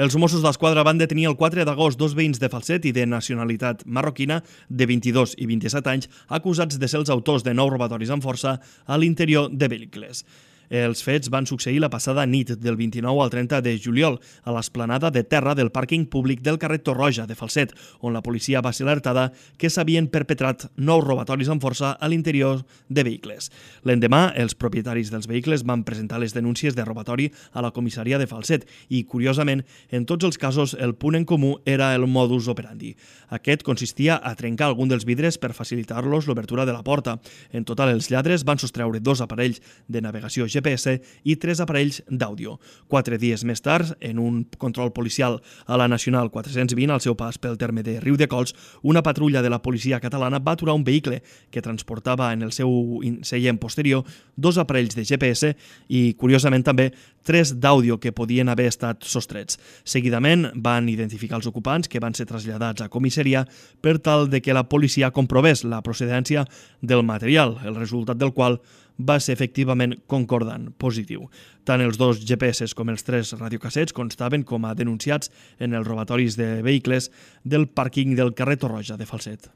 Els Mossos d'Esquadra van detenir el 4 d'agost dos veïns de Falset i de nacionalitat marroquina de 22 i 27 anys acusats de ser els autors de 9 robatoris amb força a l'interior de vehicles. Els fets van succeir la passada nit del 29 al 30 de juliol a l'esplanada de terra del pàrquing públic del carrer Torroja de Falset, on la policia va ser alertada que s'havien perpetrat 9 robatoris amb força a l'interior de vehicles. L'endemà, els propietaris dels vehicles van presentar les denúncies de robatori a la comissaria de Falset i, curiosament, en tots els casos el punt en comú era el modus operandi. Aquest consistia a trencar algun dels vidres per facilitar-los l'obertura de la porta. En total, els lladres van sostreure 2 aparells de navegació GPS i 3 aparells d'àudio. 4 dies més tard, en un control policial a la Nacional 420, al seu pas pel terme de Riudecols, una patrulla de la policia catalana va aturar un vehicle que transportava en el seu seient posterior 2 aparells de GPS i, curiosament també, 3 d'àudio que podien haver estat sostrets. Seguidament van identificar els ocupants que van ser traslladats a comissaria per tal de que la policia comprovés la procedència del material, el resultat del qual va ser efectivament concordant, positiu. Tant els 2 GPS com els 3 radiocassets constaven com a denunciats en els robatoris de vehicles del pàrquing del carrer Torroja de Falset.